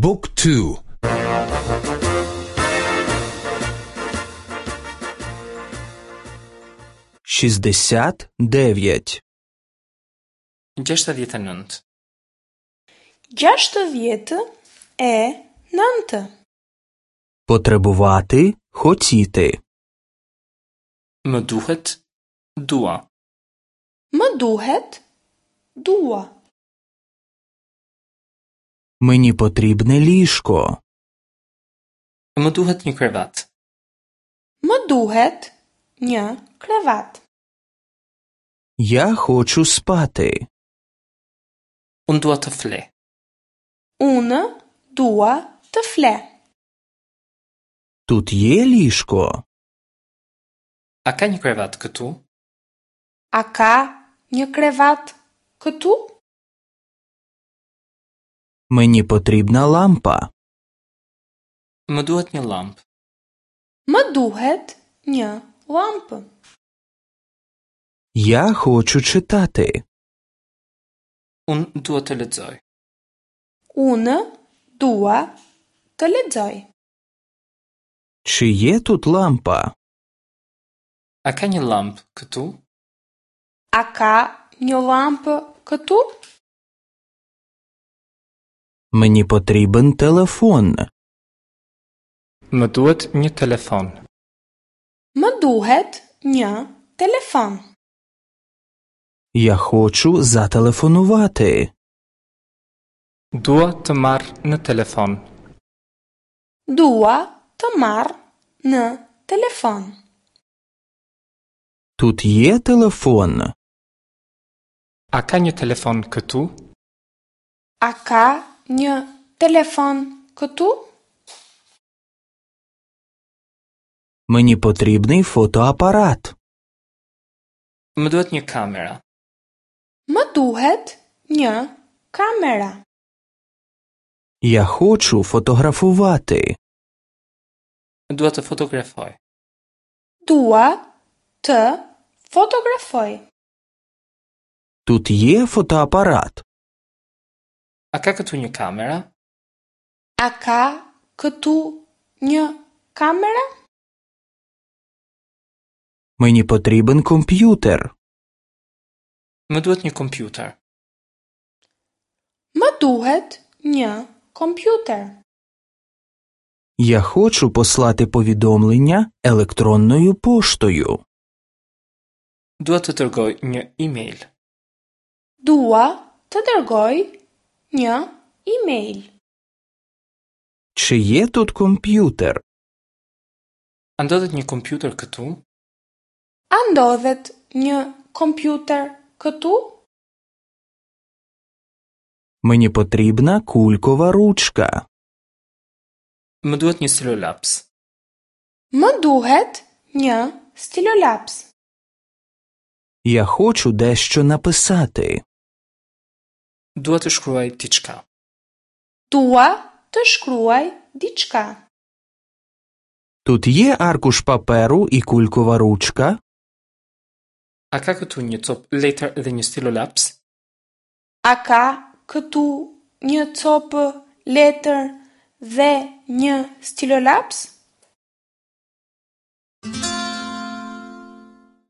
บุ๊กทู 69 69. 69. Потребувати, хотіти. Më duhet, dua. Më duhet, dua. Мені потрібне ліжко. Më duhet një krevat. Më duhet një krevat. Я хочу спати. Unë dua të fle. Unë dua të fle. Тут є ліжко. A ka një krevat këtu? A ka një krevat këtu? Мені потрібна лампа. Më duhet një llampë. Më duhet një llampë. Я хочу читати. Unë dua të lexoj. Unë dua të lexoj. Чи є тут лампа? A ka një llampë këtu? A ka një llampë këtu? Мені потрібен телефон. Më duhet një telefon. Më duhet një telefon. Я хочу зателефонувати. Dua të marr në telefon. Dua të marr në telefon. Тут є телефон. A ka një telefon këtu? A ka një telefon këtu? Мені потрібний фотоапарат. Më duhet një kamera. Më duhet një kamera. Я хочу фотографувати. Dua të fotografoj. Dua të fotografoj. Тут є фотоапарат. A ka këtu një kamera? A ka këtu një kamera? Мені потрібен комп'ютер. Më duhet një kompjuter. Më duhet një kompjuter. Я хочу послати повідомлення електронною поштою. Dua të dërgoj një email. Dua të dërgoj një email. Чи є тут комп'ютер? A ndodhet një kompjuter këtu? A ndodhet një kompjuter këtu? Мені потрібна кулькова ручка. Më duhet një stilolaps. Më duhet një stilolaps. Я хочу дещо написати. Dua të shkruaj diçka. Dua të shkruaj diçka. Тут є аркуш паперу і кулькова ручка. A ka këtu një copë letër dhe një stilolaps? A ka këtu një copë letër dhe një stilolaps?